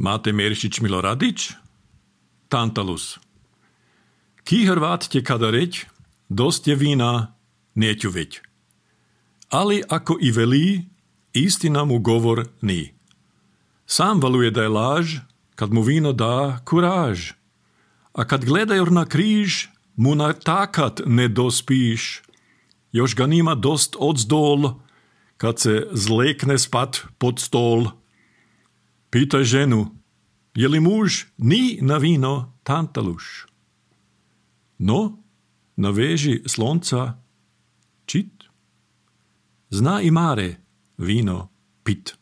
Mate Merišić Miloradić, Tantalus. Ki Hrvat te kada reč, dost je vina, neću već. Ali ako i veli, istina mu govor ni. Sam valuje da je laž, kad mu vino da kuraž. A kad gledajor na križ, mu na takat ne dospiš. Još ga nima dost odzdol, kad se zlekne spat pod stol. Pitaj ženu, je li muž ni na vino Tantaluš? No, na veži slonca čit. Zna i Mare vino pit.